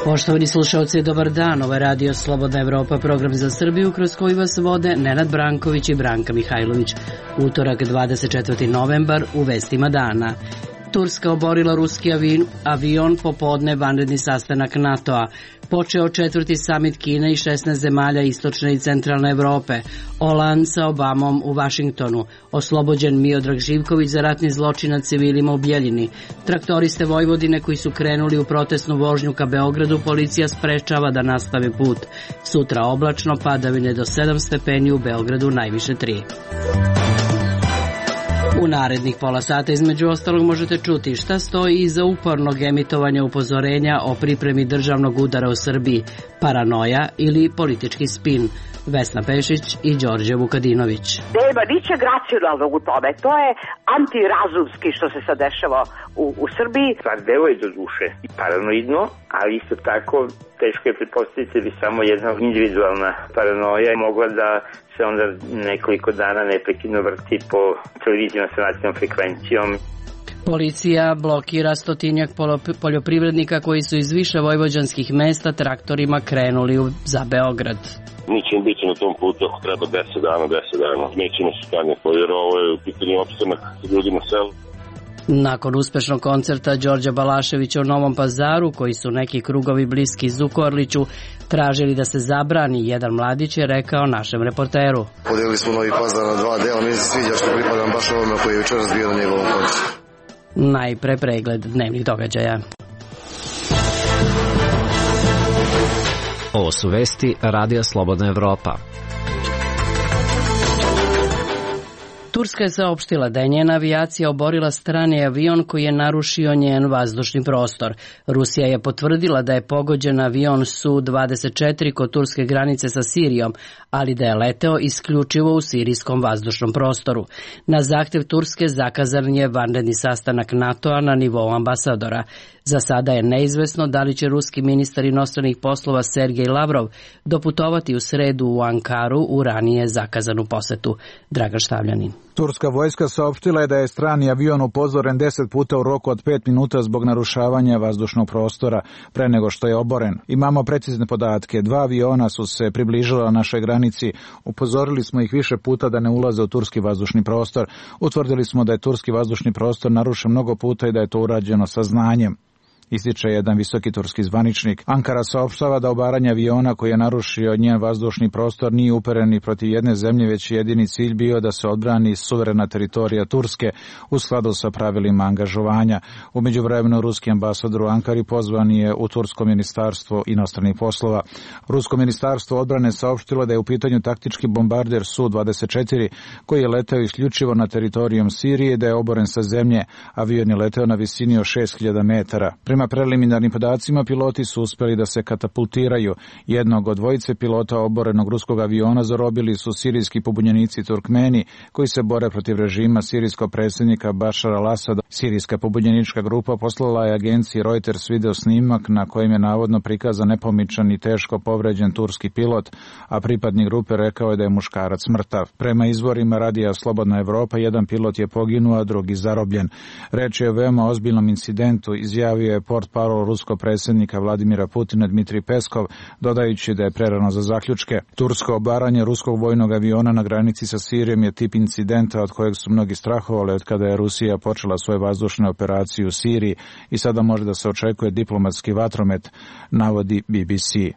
Poštovani slušalci, dobar dan. Ovo je Radio Slobodna Evropa, program za Srbiju kroz koji vas vode Nenad Branković i Branka Mihajlović. Utorak 24. novembar u vestima dana. Turska oborila ruski avion, popodne vanredni sastanak NATO-a. Počeo 4. samit Kine i 16 zemalja istočne i centralne Evrope. Hollande sa Obamom u Vašingtonu. Oslobođen Miodrag Živković za ratni zločin nad civilima u Bjeljini. Traktoriste Vojvodine koji su krenuli u protestnu vožnju ka Beogradu policija sprečava da nastave put. Sutra oblačno, padavine do 7 stepeni, u Beogradu najviše 3. U narednih pola sata između ostalog možete čuti šta stoji iza upornog emitovanja upozorenja o pripremi državnog udara u Srbiji, paranoja ili politički spin. Vesna Pešić i Đorđe Vukadinović. Nema ničeg racionalnog u tome. To je antirazumski što se sad dešava u Srbiji. Stvar delo je do duše i paranoidno, ali isto tako teško je pretpostaviti da bi samo jedna individualna paranoja mogla da se onda nekoliko dana neprekidno vrti po televizijama sa nacionalnom frekvencijom. Policija blokira stotinjak poljoprivrednika koji su iz više vojvođanskih mesta traktorima krenuli za Beograd. Mi ćemo biti na tom putu ako treba 10 dana. Nećemo se skanjati, jer ovo je u pitanju opstanak ljudima selu. Nakon uspešnog koncerta Đorđa Balaševića u Novom Pazaru, koji su neki krugovi bliski Zukorliću tražili da se zabrani, jedan mladić je rekao našem reporteru. Podelili smo Novi Pazar na 2 dela, mi se sviđa što pripadam baš ovome koji je večeras bio na njegovom koncertu. Najpre pregled dnevnih događaja. Ovo su vesti Radija Slobodna Evropa. Turska je saopštila da je njena avijacija oborila strani avion koji je narušio njen vazdušni prostor. Rusija je potvrdila da je pogođen avion Su-24 kod turske granice sa Sirijom, ali da je leteo isključivo u sirijskom vazdušnom prostoru. Na zahtev Turske zakazan je vanredni sastanak NATO-a na nivou ambasadora. Za sada je neizvesno da li će ruski ministar inostranih poslova Sergej Lavrov doputovati u sredu u Ankaru u ranije zakazanu posetu. Dragan Štavljanin. Turska vojska saopštila je da je strani avion upozoren 10 puta u roku od 5 minuta zbog narušavanja vazdušnog prostora pre nego što je oboren. Imamo precizne podatke. 2 aviona su se približila našoj granici. Upozorili smo ih više puta da ne ulaze u turski vazdušni prostor. Utvrdili smo da je turski vazdušni prostor narušen mnogo puta i da je to urađeno sa znanjem, ističe jedan visoki turski zvaničnik. Ankara saopštava da obaranje aviona koji je narušio njen vazdušni prostor nije uperen ni protiv jedne zemlje, već jedini cilj bio da se odbrani suverena teritorija Turske u skladu sa pravilima angažovanja. U međuvremenu ruski ambasador u Ankari pozvan je u tursko ministarstvo inostranih poslova. Rusko ministarstvo odbrane saopštilo da je u pitanju taktički bombarder Su-24 koji je leteo isključivo na teritorijom Sirije, da je oboren sa zemlje. Avion je leteo na visini od 6000 metara. Prema preliminarnim podacima, piloti su uspeli da se katapultiraju. Jednog od dvojice pilota oborenog ruskog aviona zarobili su sirijski pobunjenici Turkmeni koji se bore protiv režima sirijskog predsjednika Bašara al-Asada. Sirijska pobunjenička grupa poslala je agenciji Reuters video snimak na kojem je navodno prikazan nepomičan i teško povređen turski pilot, a pripadnik grupe rekao je da je muškarac mrtav. Prema izvorima Radija Slobodna Evropa, jedan pilot je poginuo, a drugi zarobljen. Reč je o veoma ozbiljnom incidentu, izjavio je portparol ruskog predsjednika Vladimira Putina Dmitrij Peskov, dodajući da je prerano za zaključke. Tursko obaranje ruskog vojnog aviona na granici sa Sirijom je tip incidenta od kojeg su mnogi strahovali od kada je Rusija počela svoje vazdušne operacije u Siriji i sada može da se očekuje diplomatski vatromet, navodi BBC.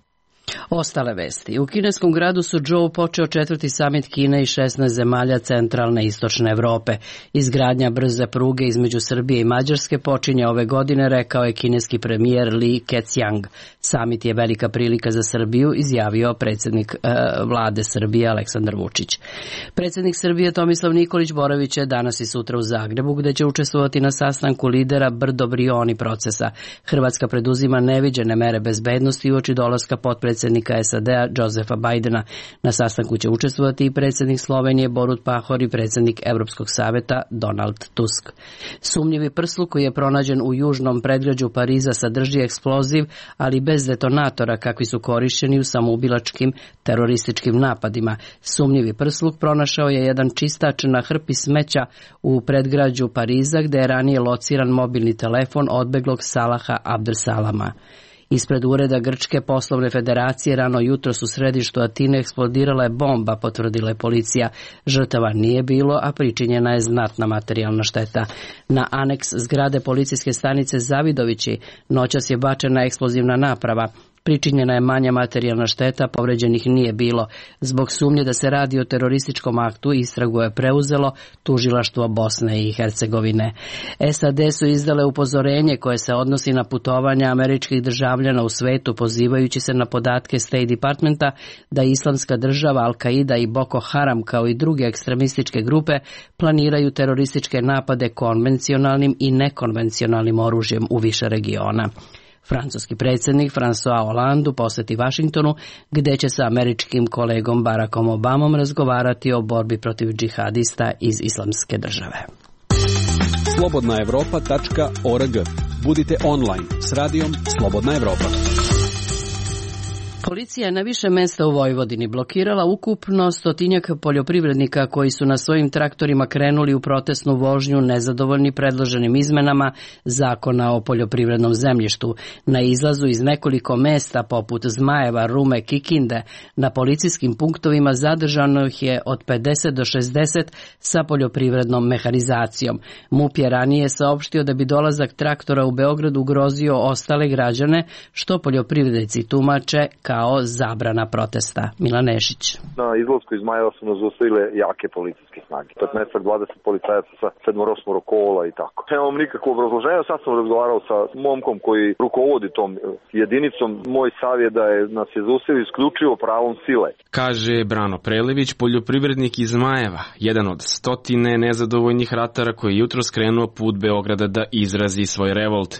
Ostale vesti. U kineskom gradu Suzhou počeo 4. samit Kine i 16 zemalja centralne i istočne Evrope. Izgradnja brze pruge između Srbije i Mađarske počinje ove godine, rekao je kineski premijer Li Keqiang. Samit je velika prilika za Srbiju, izjavio predsjednik vlade Srbije Aleksandar Vučić. Predsjednik Srbije Tomislav Nikolić boravit će danas i sutra u Zagrebu, gde će učestvovati na sastanku lidera Brdo-Brioni procesa. Hrvatska preduzima neviđene mere bezbednosti uoči dolaska potpredsjednika predsjednika SAD-a Josefa Bidena. Na sastanku će učestvovati i predsjednik Slovenije Borut Pahor i predsjednik Evropskog saveta Donald Tusk. Sumnjivi prsluk koji je pronađen u južnom predgrađu Pariza sadrži eksploziv, ali bez detonatora kakvi su korišćeni u samoubilačkim terorističkim napadima. Sumnjivi prsluk pronašao je jedan čistač na hrpi smeća u predgrađu Pariza, gde je ranije lociran mobilni telefon odbeglog Salaha Abdesalama. Ispred ureda Grčke poslovne federacije rano jutros u središtu Atine eksplodirala je bomba, potvrdila je policija. Žrtava nije bilo, a pričinjena je znatna materijalna šteta. Na aneks zgrade policijske stanice Zavidovići noćas je bačena eksplozivna naprava. Pričinjena je manja materijalna šteta, povređenih nije bilo. Zbog sumnje da se radi o terorističkom aktu, istragu je preuzelo tužilaštvo Bosne i Hercegovine. SAD su izdale upozorenje koje se odnosi na putovanja američkih državljana u svetu, pozivajući se na podatke State Departmenta da Islamska država, Al-Qaida i Boko Haram kao i druge ekstremističke grupe planiraju terorističke napade konvencionalnim i nekonvencionalnim oružjem u više regiona. Francuski predsjednik François Hollande posjeti Vašingtonu, gdje će sa američkim kolegom Barackom Obamom razgovarati o borbi protiv džihadista iz Islamske države. Slobodnaevropa.org. Budite online s radijom Slobodna Evropa. Policija je na više mjesta u Vojvodini blokirala ukupno 100 poljoprivrednika koji su na svojim traktorima krenuli u protestnu vožnju nezadovoljni predloženim izmenama Zakona o poljoprivrednom zemljištu. Na izlazu iz nekoliko mjesta poput Zmajeva, Rume, Kikinde na policijskim punktovima zadržano ih je od 50 do 60 sa poljoprivrednom mehanizacijom. MUP je ranije saopštio da bi dolazak traktora u Beograd ugrozio ostale građane, što poljoprivrednici tumače kao zabrana protesta. Milan Nešić. Na izlasku iz Zmajeva su nas zaustavile jake policijske snage. 15-20 policajaca sa 7-8 kola i tako. Nemam nikakvo obrazloženje, sad sam razgovarao sa momkom koji rukovodi tom jedinicom. Moj savjet da je nas je zaustavio isključivo pravom sile. Kaže Brano Prelević, poljoprivrednik iz Zmajeva, jedan od 100 nezadovoljnih ratara koji je jutros krenuo put Beograda da izrazi svoj revolt.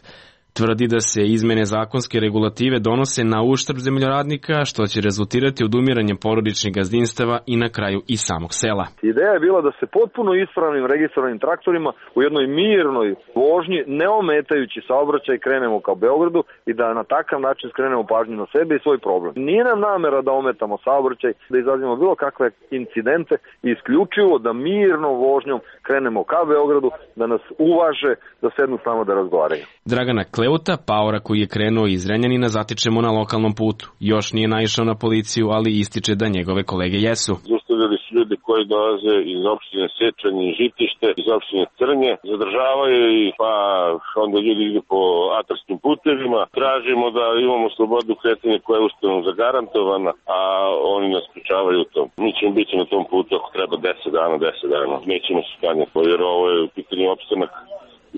Tvrdi da se izmene zakonske regulative donose na uštrb zemljoradnika, što će rezultirati odumiranjem porodičnih gazdinstava i na kraju i samog sela. Ideja je bila da se potpuno ispravnim registrovanim traktorima u jednoj mirnoj vožnji, ne ometajući saobraćaj, krenemo ka Beogradu i da na takav način skrenemo pažnju na sebe i svoj problem. Nije nam namera da ometamo saobraćaj, da izazivamo bilo kakve incidente i isključivo da mirnom vožnjom krenemo ka Beogradu, da nas uvaže, da sednu s nama da razgovaraju. Dragana Kleuta, paora koji je krenuo iz Zrenjanina, zatičemo na lokalnom putu. Još nije naišao na policiju, ali ističe da njegove kolege jesu. Zaustavljali su ljudi koji dolaze iz opštine Sečanj i Žitište, iz opštine Crnje. Zadržavaju ih, pa onda ljudi idu po atarskim putevima. Tražimo da imamo slobodu kretanja koja je ustavom zagarantovana, a oni nas sprečavaju u tom. Mi ćemo biti na tom putu ako treba 10 dana. Nećemo se skanjati, jer ovo je u pitanju opstanak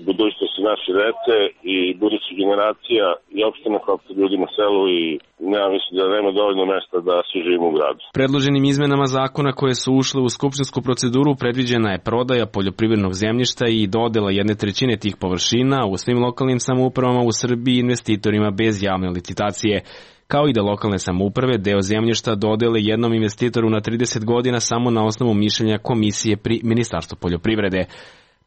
i budućnosti naše dece i budućih generacija i opstanak ljudi na selu i ja mislim da nema dovoljno mesta da svi živimo u gradu. Predloženim izmenama zakona koje su ušle u skupštinsku proceduru predviđena je prodaja poljoprivrednog zemljišta i dodela 1/3 tih površina u svim lokalnim samoupravama u Srbiji investitorima bez javne licitacije, kao i da lokalne samouprave deo zemljišta dodele jednom investitoru na 30 godina samo na osnovu mišljenja komisije pri Ministarstvu poljoprivrede.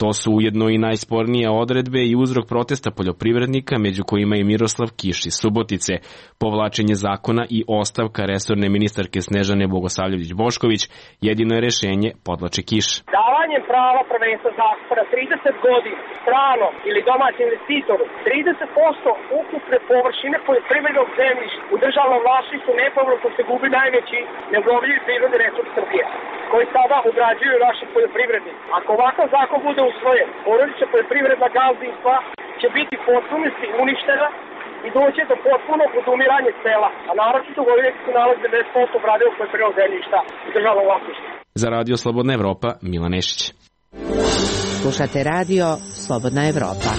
To su ujedno i najspornije odredbe i uzrok protesta poljoprivrednika, među kojima je Miroslav Kiš iz Subotice, povlačenje zakona i ostavka resorne ministarke Snežane Bogosavljević-Bošković. Jedino je rešenje, podvlači Kiš. Davanjem prava prvenstva zakona 30 godina stranom ili domaćem investitoru, 30% ukupne površine poljoprivrednog zemljišta u državnom vlasništvu nepovratno se gubi najveći neobnovljivi prirodni resurs Srbije, koji sada obrađuju naši poljoprivrednici. Ako ovakav zakon bude usvojen, porodična poljoprivredna gazdinstva će biti potpunosti uništena i doće do potpunog odumiranja sela, a naročito u ovih se nalazi 90% obradivog poljoprivrednog zemljišta u državnom vlasništvu. Za Radio Slobodna Evropa, Milan Nešić. Slušate Radio Slobodna Evropa.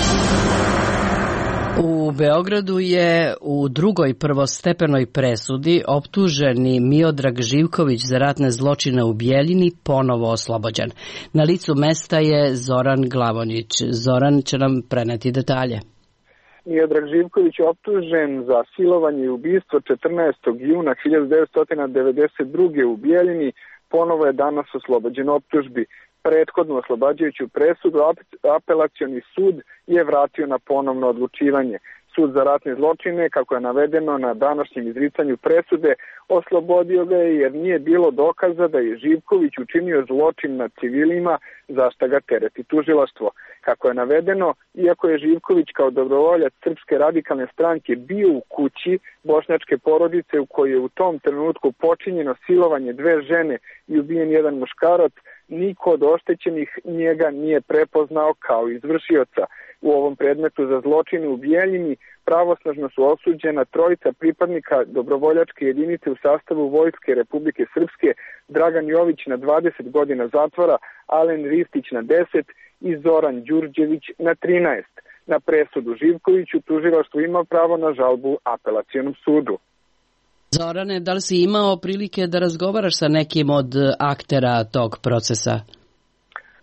U Beogradu je u drugoj prvostepenoj presudi optuženi Miodrag Živković za ratne zločine u Bijeljini ponovo oslobođen. Na licu mesta je Zoran Glavonjić. Zoran će nam preneti detalje. Miodrag Živković optužen za silovanje i ubistvo 14. juna 1992. u Bijeljini ponovo je danas oslobođen optužbi. Prethodnu oslobađajuću presudu apelacioni sud je vratio na ponovno odlučivanje. Sud za ratne zločine, kako je navedeno na današnjem izricanju presude, oslobodio ga je jer nije bilo dokaza da je Živković učinio zločin nad civilima, za šta ga tereti tužilaštvo. Kako je navedeno, iako je Živković kao dobrovoljac Srpske radikalne stranke bio u kući bošnjačke porodice u kojoj je u tom trenutku počinjeno silovanje 2 žene i ubijen 1 muškarac, niko od oštećenih njega nije prepoznao kao izvršioca. U ovom predmetu za zločine u Bijeljini pravosnažno su osuđena 3 pripadnika dobrovoljačke jedinice u sastavu Vojske Republike Srpske, Dragan Jović na 20 godina zatvora, Alen Ristić na 10 i Zoran Đurđević na 13. Na presudu Živkoviću tužilaštvo ima pravo na žalbu apelacionom sudu. Zorane, da li si imao prilike da razgovaraš sa nekim od aktera tog procesa?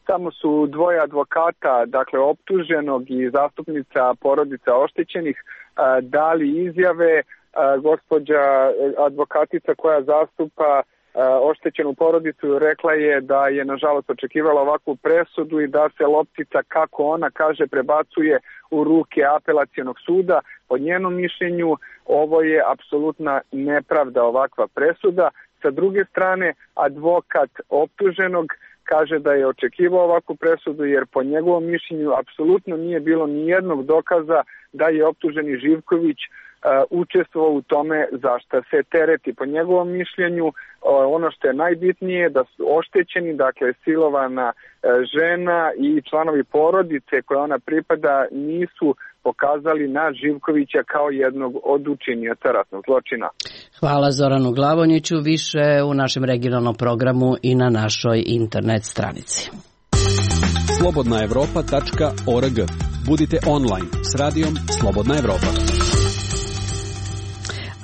Samo su 2 advokata, dakle optuženog i zastupnica porodica oštećenih, dali izjave. Gospođa advokatica koja zastupa oštećenu porodicu rekla je da je nažalost očekivala ovakvu presudu i da se loptica, kako ona kaže, prebacuje u ruke apelacionog suda. Po njenom mišljenju ovo je apsolutna nepravda, ovakva presuda. Sa druge strane, advokat optuženog kaže da je očekivao ovakvu presudu jer po njegovom mišljenju apsolutno nije bilo ni jednog dokaza da je optuženi Živković učestvovao u tome za šta se tereti. Po njegovom mišljenju ono što je najbitnije da su oštećeni, dakle silovana žena i članovi porodice koje ona pripada nisu pokazali na Živkovića kao jednog od učinioca ratnog zločina. Hvala Zoranu Glavonjiću, više u našem regionalnom programu i na našoj internet stranici. slobodnaevropa.org. Budite online s radijom Slobodna Evropa.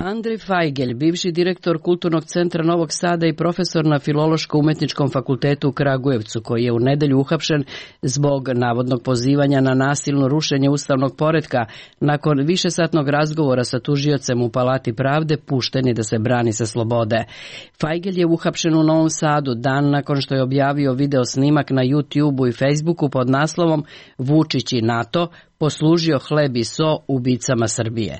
Andrej Fajgelj, bivši direktor Kulturnog centra Novog Sada i profesor na Filološko-umetničkom fakultetu u Kragujevcu, koji je u nedelju uhapšen zbog navodnog pozivanja na nasilno rušenje ustavnog poretka, nakon višesatnog razgovora sa tužiocem u Palati pravde, pušten je da se brani sa slobode. Fajgelj je uhapšen u Novom Sadu dan nakon što je objavio video snimak na YouTubeu i Facebooku pod naslovom Vučić i NATO poslužio hleb i so ubicama Srbije.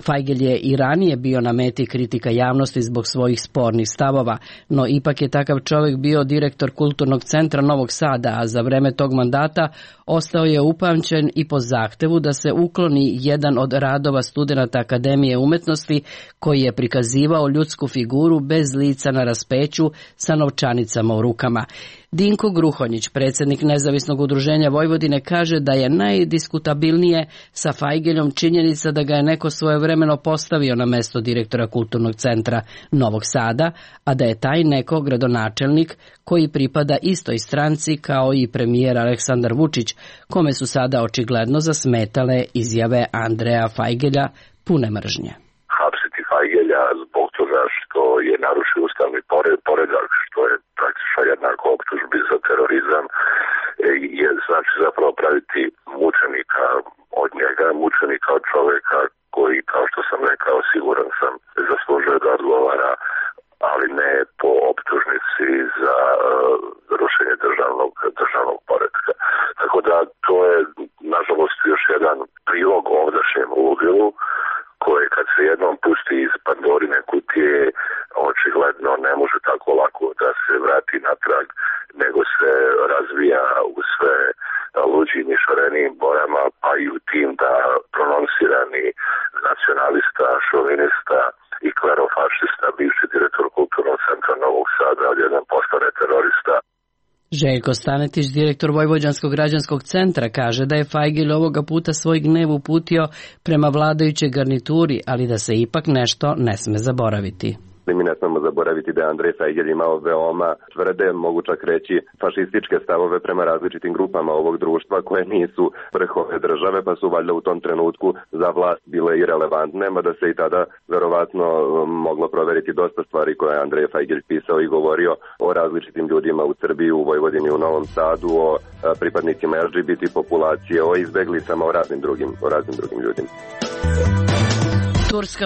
Fajgelj je i ranije bio na meti kritika javnosti zbog svojih spornih stavova, no ipak je takav čovjek bio direktor Kulturnog centra Novog Sada, a za vreme tog mandata ostao je upamćen i po zahtevu da se ukloni jedan od radova studenata Akademije umetnosti koji je prikazivao ljudsku figuru bez lica na raspeću sa novčanicama u rukama. Dinko Gruhonjić, predsjednik Nezavisnog udruženja Vojvodine, kaže da je najdiskutabilnije sa Fajgeljom činjenica da ga je neko svojevremeno postavio na mesto direktora Kulturnog centra Novog Sada, a da je taj neko gradonačelnik koji pripada istoj stranci kao i premijer Aleksandar Vučić, kome su sada očigledno zasmetale izjave Andreja Fajgelja pune mržnje. Hapsiti Fajgelja zbog toga što je narušio ustavni poredak, što je praktično jednako optužbi za terorizam, je znači zapravo praviti mučenika od njega, mučenika od čoveka koji, kao što sam rekao, siguran sam, zaslužuje da odgovara, ali ne po optužnici za rušenje državnog poretka. Tako da to je, nažalost, još jedan prilog ovdašnjem ludilu, koje kad se jednom pusti iz Pandorine kutije, očigledno ne može tako lako da se vrati natrag, nego se razvija u sve luđim i šarenijim bojama, pa i u tim da prononsirani nacionalista, šovinista i klerofašista, bivši direktor Kulturnog centra Novog Sada, odjednom postane terorista. Željko Stanetić, direktor Vojvođanskog građanskog centra, kaže da je Fajgelj ovoga puta svoj gnev uputio prema vladajućoj garnituri, ali da se ipak nešto ne sme zaboraviti. Mi ne smemo zaboraviti da je Andrej Fajgelj imao veoma tvrde, mogu čak reći fašističke stavove prema različitim grupama ovog društva koje nisu vrhove države, pa su valjda u tom trenutku za vlast bile irelevantne, mada se i tada verovatno moglo proveriti dosta stvari koje je Andrej Fajgelj pisao i govorio o različitim ljudima u Srbiji, u Vojvodini, u Novom Sadu, o pripadnicima LGBT populacije, o izbeglicama, o raznim drugim ljudima. Turska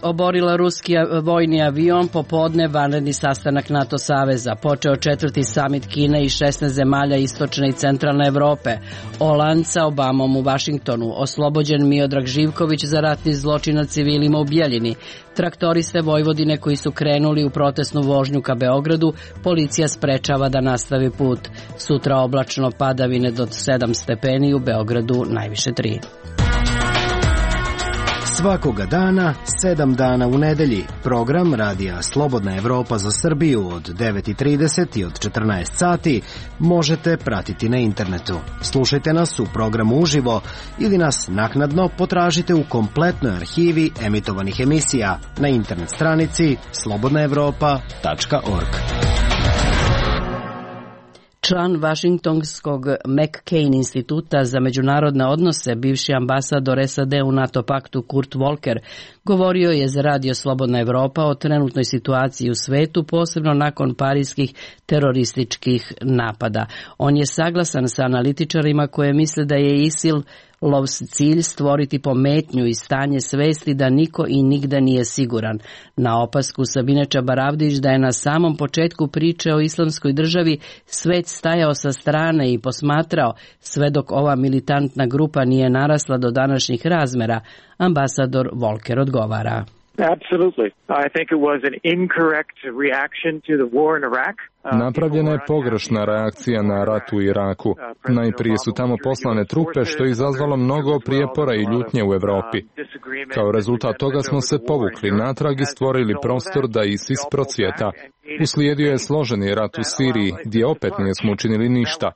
oborila ruski vojni avion, popodne vanredni sastanak NATO saveza, počeo 4. samit Kine i 16 zemalja istočne i centralne Evrope, Holand sa Obamom u Vašingtonu, oslobođen Miodrag Živković za ratni zločin nad civilima u Bjeljini, traktoriste Vojvodine koji su krenuli u protestnu vožnju ka Beogradu, policija sprečava da nastavi put. Sutra oblačno, padavine do 7 stepeni, u Beogradu najviše 3. Svakoga dana, 7 dana u nedelji. Program Radija Slobodna Evropa za Srbiju od 9:30 i od 14 sati možete pratiti na internetu. Slušajte nas u programu uživo ili nas naknadno potražite u kompletnoj arhivi emitovanih emisija na internet stranici slobodnaevropa.org. Član Vašingtonskog McCain instituta za međunarodne odnose, bivši ambasador SAD u NATO paktu Kurt Volker, govorio je za Radio Slobodna Evropa o trenutnoj situaciji u svetu, posebno nakon parijskih terorističkih napada. On je saglasan sa analitičarima koje misle da je ISIL cilj stvoriti pometnju i stanje svesti da niko i nigda nije siguran. Na opasku Sabine Čabaravdić da je na samom početku priče o islamskoj državi svet stajao sa strane i posmatrao sve dok ova militantna grupa nije narasla do današnjih razmera, ambasador Volker odgovara. Absolutely. I think it was an incorrect reaction to the war in Iraq. Napravljena je pogrešna reakcija na rat u Iraku. Najprije su tamo poslane trupe, što je izazvalo mnogo prijepora i ljutnje u Evropi. Kao rezultat toga smo se povukli natrag i stvorili prostor da ISIS procvjeta. Uslijedio je složeni rat u Siriji, gdje opet nismo učinili ništa.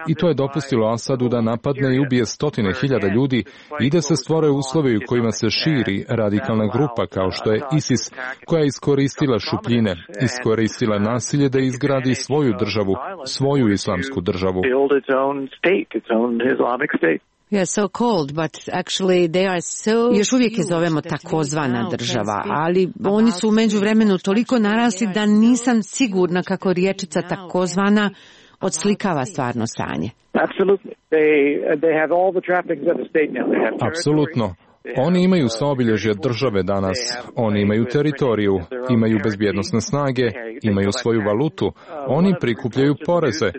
I to je dopustilo Asadu da napadne i ubije 100.000 ljudi i da se stvore uslovi u kojima se širi radikalna grupa kao što je ISIS, koja je iskoristila šupljine, iskoristila nasilje da izgradi svoju državu, svoju islamsku državu. Još uvijek je zovemo takozvana država, ali oni su u međuvremenu toliko narasli da nisam sigurna kako riječica takozvana odslikava stvarno stanje. Apsolutno. Oni imaju sva obilježja države danas, oni imaju teritoriju, imaju bezbjednosne snage, imaju svoju valutu, oni prikupljaju poreze.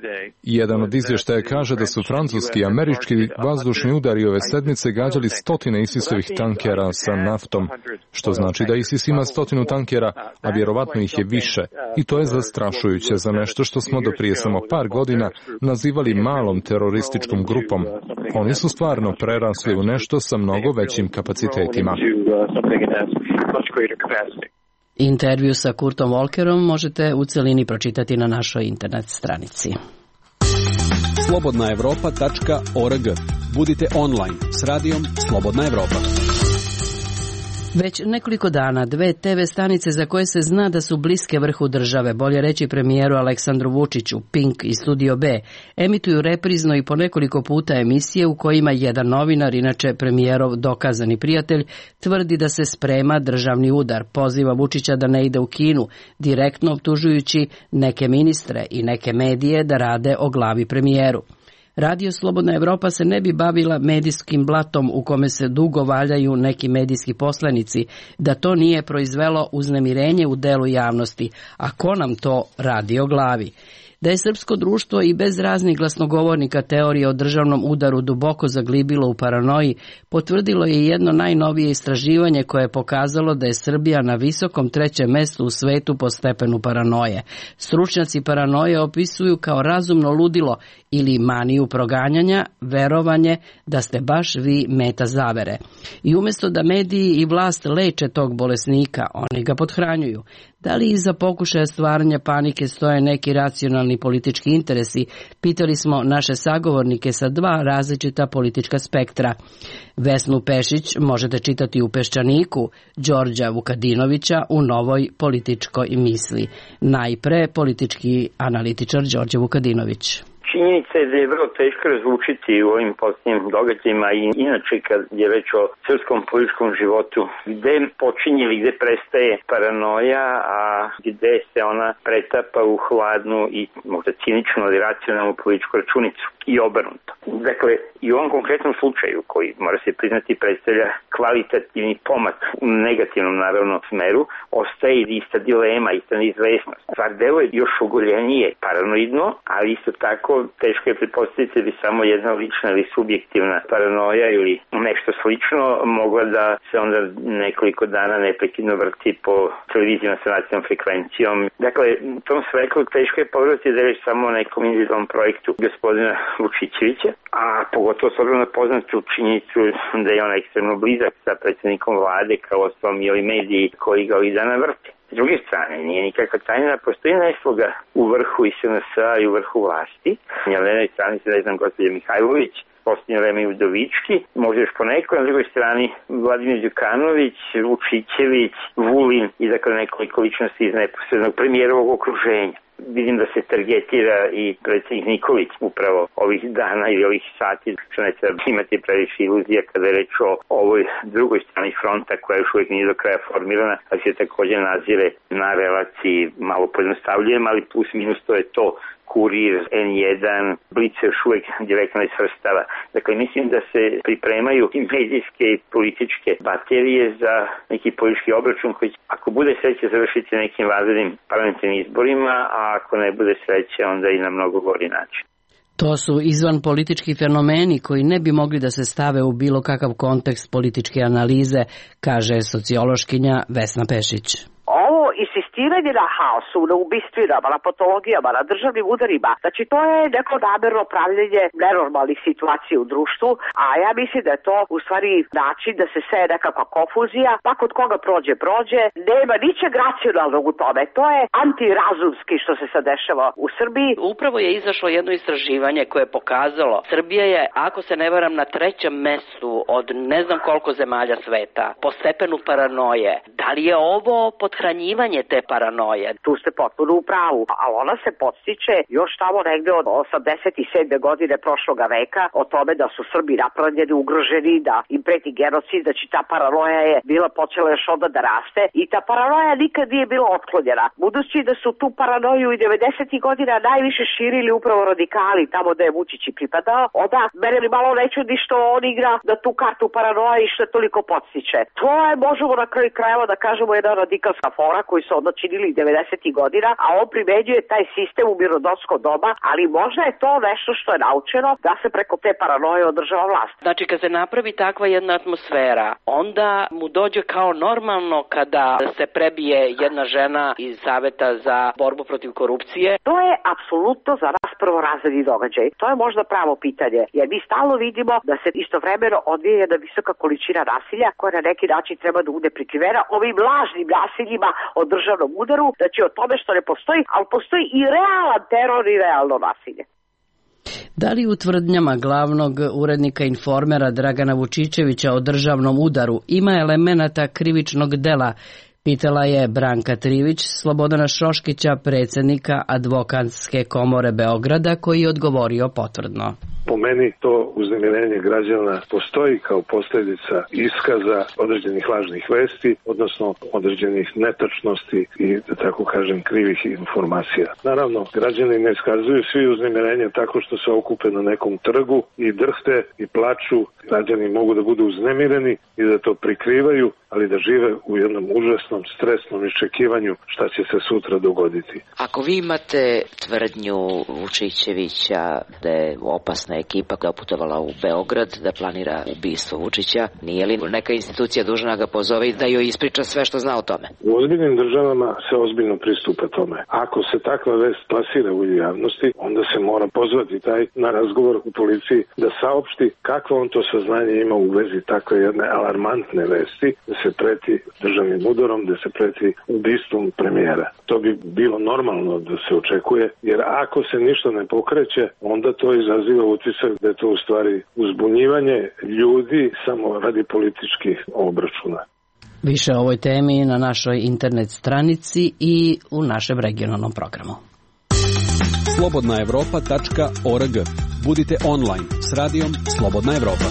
Jedan od izvještaja kaže da su francuski i američki vazdušni udari ove sedmice gađali 100 ISIS-ovih tankera sa naftom, što znači da ISIS ima 100 tankera, a vjerovatno ih je više. I to je zastrašujuće za nešto što smo do prije samo par godina nazivali malom terorističkom grupom. Oni su stvarno prerasli u nešto sa mnogo većim kapacitetima. Intervju sa Kurtom Volkerom možete u celini pročitati na našoj internet stranici. slobodnaevropa.org. Budite online s radijom Slobodna Evropa. Već nekoliko dana 2 TV stanice za koje se zna da su bliske vrhu države, bolje reći premijeru Aleksandru Vučiću, Pink i Studio B, emituju reprizno i po nekoliko puta emisije u kojima jedan novinar, inače premijerov dokazani prijatelj, tvrdi da se sprema državni udar, poziva Vučića da ne ide u Kinu, direktno optužujući neke ministre i neke medije da rade o glavi premijeru. Radio Slobodna Evropa se ne bi bavila medijskim blatom u kome se dugo valjaju neki medijski poslanici, da to nije proizvelo uznemirenje u delu javnosti. A ko nam to radi o glavi? Da je srpsko društvo i bez raznih glasnogovornika teorije o državnom udaru duboko zaglibilo u paranoji, potvrdilo je jedno najnovije istraživanje koje je pokazalo da je Srbija na visokom 3. mestu u svetu po stepenu paranoje. Stručnjaci paranoje opisuju kao razumno ludilo ili maniju proganjanja, verovanje da ste baš vi meta zavere. I umjesto da mediji i vlast leče tog bolesnika, oni ga pothranjuju. Da li iza pokušaja stvaranja panike stoje neki racionalni ostvareni politički interesi, pitali smo naše sagovornike sa dva različita politička spektra. Vesnu Pešić možete čitati u Peščaniku, Đorđa Vukadinovića u Novoj političkoj misli. Najpre politički analitičar Đorđe Vukadinović. Činjenica je da je vrlo teško razlučiti u ovim posljednjim događajima i inače kad je reč o srpskom političkom životu gde počinje ili gde prestaje paranoja, a gde se ona pretapa u hladnu i možda ciničnu ali racionalnu političku računicu i obrnuto. Dakle, i u ovom konkretnom slučaju koji mora se priznati predstavlja kvalitativni pomak u negativnom naravno smeru, ostaje ista dilema, ista neizvesnost. Stvar deluje još ogoljenije paranoidno, ali isto tako teško je pretpostaviti da bi samo jedna lična ili subjektivna paranoja ili nešto slično mogla da se onda nekoliko dana neprekidno vrti po televizijama sa nacionalnom frekvencijom. Dakle, u tom svetlu teško je pogledati da je već samo o nekom individualnom projektu gospodina Vučićevića, a pogotovo s obzirom na poznatu činjenicu da je on ekstremno blizak sa predsjednikom vlade kao ostalom i ovi mediji koji ga ovih dana vrte. S druge strane, nije nikakva tajna, postoji nesloga u vrhu i SNS-a i u vrhu vlasti. Na jednoj strani se, ne znam, gospođa Mihajlović, posljednje vreme i Udovički, možda još poneko, na drugoj strani Vladimir Đukanović, Vučićević, Vulin i dakle nekoliko ličnosti iz neposrednog premijerovog okruženja. Vidim da se targetira i predsjednik Nikolić upravo ovih dana ili ovih sati, što ne treba imati previše iluzija kada je reč o ovoj drugoj strani fronta koja još uvijek nije do kraja formirana, ali se također nazire na relaciji, malo pojednostavljujem, ali plus minus to je to. Kurir, N1, Blic još uvijek direktno ne svrstava. Dakle, mislim da se pripremaju i medijske i političke baterije za neki politički obračun koji, ako bude sreće, završiti nekim vanrednim parlamentarnim izborima, a ako ne bude sreće, onda i na mnogo gori način. To su izvan politički fenomeni koji ne bi mogli da se stave u bilo kakav kontekst političke analize, kaže sociološkinja Vesna Pešić. Ovo insistiranje na haosu, na ubistvima, na patologijama, na državnim udarima, znači to je neko namerno pravljenje nenormalnih situacija u društvu, a ja mislim da je to u stvari način da se seje nekakva konfuzija, pa kod koga prođe, nema ničeg racionalnog u tome, to je antirazumski što se sad dešava u Srbiji. Upravo je izašlo jedno istraživanje koje je pokazalo, Srbija je, ako se ne varam, na 3. mestu od ne znam koliko zemalja sveta, po stepenu paranoje. Da li je ovo podhranjivanje te paranoje? Tu ste potpuno u pravu, ali ona se podstiče još tamo negde od 87. godine prošloga veka o tome da su Srbi napravljeni, ugroženi, da im preti genocid, da će ta paranoja je bila počela još onda da raste i ta paranoja nikad nije bila otklonjena. Budući da su tu paranoju i 90. godina najviše širili upravo radikali tamo da je Vučić i pripadao, onda mene li malo ne čudi što on igra da tu kartu paranoja i što je toliko podstiče. To je, možemo na kraju krajeva da kažemo, jedna radikalska fora koji su onda činili 90. godina, a on primenjuje taj sistem u mirnodopsko doba, ali možda je to nešto što je naučeno da se preko te paranoje održava vlast. Znači, kad se napravi takva jedna atmosfera, onda mu dođe kao normalno kada se prebije jedna žena iz Saveta za borbu protiv korupcije. To je apsolutno za nas prvorazredni događaj. To je možda pravo pitanje, jer mi stalno vidimo da se istovremeno odvija jedna visoka količina nasilja koja na neki način treba da bude prikrivena ovim lažnim nasiljima o državnom udaru, znači o tome što ne postoji, ali postoji i realan teror i realno nasilje. Da li u tvrdnjama glavnog urednika Informera Dragana Vučićevića o državnom udaru ima elemenata krivičnog dela? Pitala je Branka Trivić, Slobodana Šoškića, predsjednika Advokatske komore Beograda, koji je odgovorio potvrdno. Po meni to uznemirenje građana postoji kao posljedica iskaza određenih lažnih vesti, odnosno određenih netačnosti i, da tako kažem, krivih informacija. Naravno, građani ne iskazuju svi uznemirenje tako što se okupe na nekom trgu i drhte i plaču. Građani mogu da budu uznemireni i da to prikrivaju, ali da žive u jednom užasnom, stresnom iščekivanju šta će se sutra dogoditi. Ako vi imate tvrdnju Vučićevića da je opasna celokupna ekipa doputovala u Beograd da planira ubistvo Vučića. Nije li neka institucija dužna da ga pozove i da joj ispriča sve što zna o tome? U ozbiljnim državama se ozbiljno pristupa tome. Ako se takva vest plasira u javnosti, onda se mora pozvati taj na razgovor u policiji da saopšti kakvo on to saznanje ima u vezi takve jedne alarmantne vesti, da se preti državnim udarom, da se preti ubistvom premijera. To bi bilo normalno da se očekuje, jer ako se ništa ne pokreće, onda to izaziva utisak da je to u stvari uzbunjivanje ljudi samo radi političkih obračuna. Više o ovoj temi na našoj internet stranici i u našem regionalnom programu. slobodnaevropa.org. Budite online s radijom Slobodna Evropa.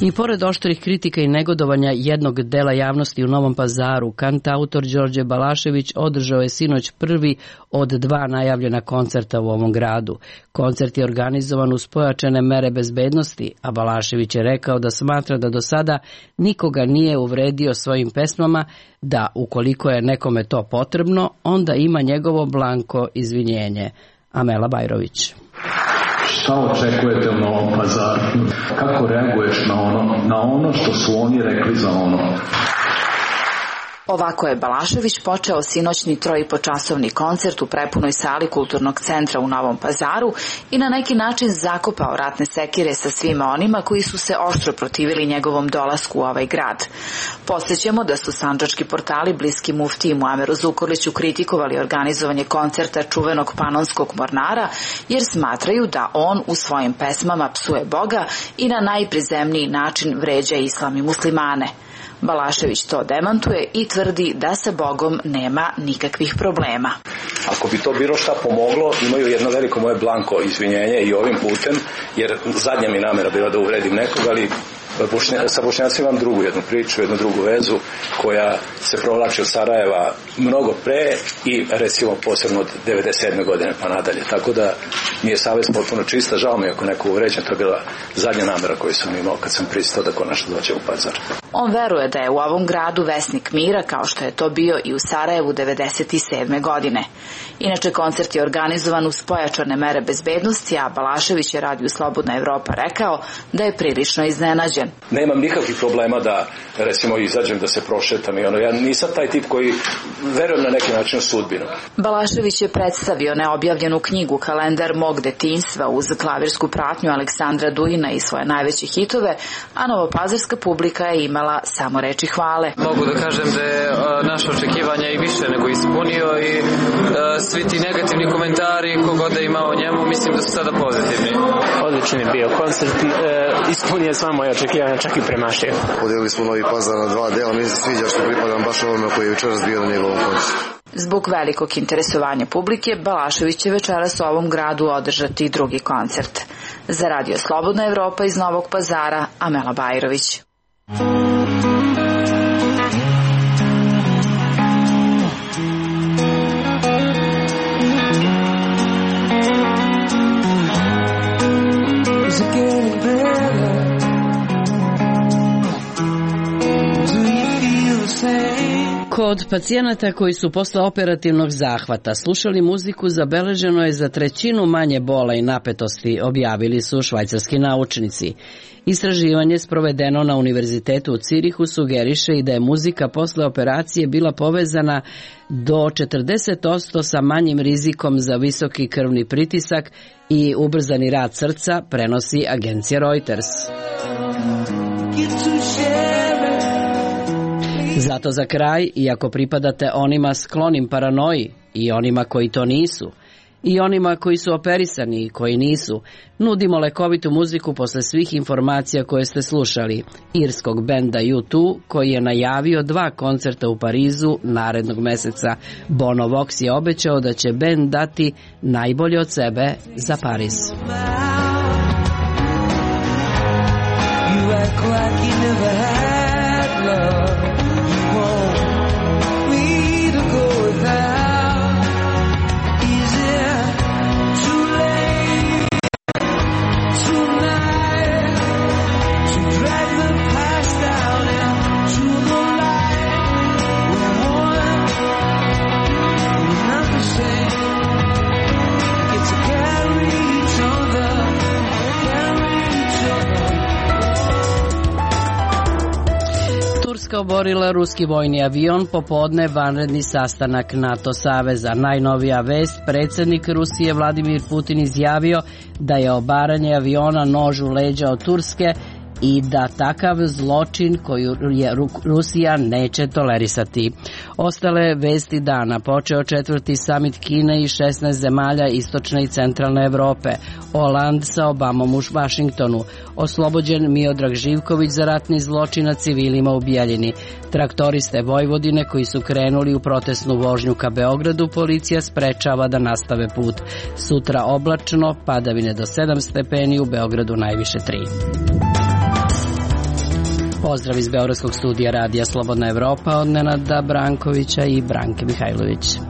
I pored oštrih kritika i negodovanja jednog dela javnosti u Novom Pazaru, kantautor Đorđe Balašević održao je sinoć prvi od 2 najavljena koncerta u ovom gradu. Koncert je organizovan uz pojačane mere bezbednosti, a Balašević je rekao da smatra da do sada nikoga nije uvredio svojim pesmama, da ukoliko je nekome to potrebno, onda ima njegovo blanko izvinjenje. Amela Bajrović. Šta očekujete u Novom Pazaru? Kako reaguješ na ono što su oni rekli za ono? Ovako je Balašević počeo sinoćni 3,5-časovni koncert u prepunoj sali Kulturnog centra u Novom Pazaru i na neki način zakopao ratne sekire sa svima onima koji su se oštro protivili njegovom dolasku u ovaj grad. Podsjećamo da su sandžački portali bliski muftiji Muameru Zukorliću kritikovali organizovanje koncerta čuvenog panonskog mornara, jer smatraju da on u svojim pesmama psuje Boga i na najprizemniji način vređa islam i muslimane. Balašević to demantuje i tvrdi da sa Bogom nema nikakvih problema. Ako bi to bilo šta pomoglo, imaju jedno veliko moje blanko izvinjenje i ovim putem, jer zadnja mi namera bila da uvredim nekog, ali sa Bošnjacima imam drugu jednu priču, jednu drugu vezu koja se provlači od Sarajeva mnogo pre i recimo posebno od 97. godine pa nadalje. Tako da mi je savest potpuno čista, žao mi ako neko uvređen, to je bila zadnja namera koju sam imao kad sam pristao da konačno dođe u Pazar. On veruje da je u ovom gradu vesnik mira, kao što je to bio i u Sarajevu 97. godine. Inače, koncert je organizovan uz pojačane mere bezbednosti, a Balašević je Radio Slobodna Evropa rekao da je prilično iznenađen. Nemam nikakvih problema da, recimo, izađem da se prošetam i ja nisam taj tip koji verujem na neki način u sudbinu. Balašević je predstavio neobjavljenu knjigu Kalendar mog detinjstva uz klavirsku pratnju Aleksandra Dujina i svoje najveće hitove, a novopazarska publika je imala samo reči hvale. Mogu da kažem da je naše očekivanja i više nego ispunio i svi ti negativni komentari kogod da ima o njemu, mislim da su sada pozitivni. Odličan je bio koncert, ispunio sva moje očekivanja, čak i premašio. Podelili smo Novi Pazar na 2 dela, mi se sviđa što pripadam baš ovome koji je večeras bio na njegovom koncertu. Zbog velikog interesovanja publike, Balašević će večeras u ovom gradu održati drugi koncert. Za Radio Slobodna Evropa iz Novog Pazara, Amela Bajrović. Kod pacijenata koji su posle operativnog zahvata slušali muziku zabeleženo je za 1/3 manje bola i napetosti, objavili su švajcarski naučnici. Istraživanje sprovedeno na Univerzitetu u Cirihu sugeriše i da je muzika posle operacije bila povezana do 40% sa manjim rizikom za visoki krvni pritisak i ubrzani rad srca, prenosi agencija Reuters. Zato za kraj, iako pripadate onima sklonim paranoji i onima koji to nisu, i onima koji su operisani i koji nisu, nudimo lekovitu muziku posle svih informacija koje ste slušali. Irskog benda U2, koji je najavio 2 koncerta u Parizu narednog meseca. Bono Vox je obećao da će bend dati najbolje od sebe za Pariz. It's a carry each other. oborila ruski vojni avion, popodne vanredni sastanak NATO saveza. Najnovija vest, predsjednik Rusije Vladimir Putin izjavio da je obaranje aviona nož u leđa od Turske i da takav zločin koju Rusija neće tolerisati. Ostale vesti dana, počeo 4. samit Kine i 16 zemalja istočne i centralne Evrope, Holand sa Obamom u Vašingtonu, oslobođen Miodrag Živković za ratni zločin nad civilima u Bijeljini, traktoriste Vojvodine koji su krenuli u protestnu vožnju ka Beogradu, policija sprečava da nastave put. Sutra oblačno, padavine do 7 stepeni, u Beogradu najviše 3. Pozdrav iz Beogradskog studija Radija Slobodna Evropa od Nenada Brankovića i Branke Mihajlović.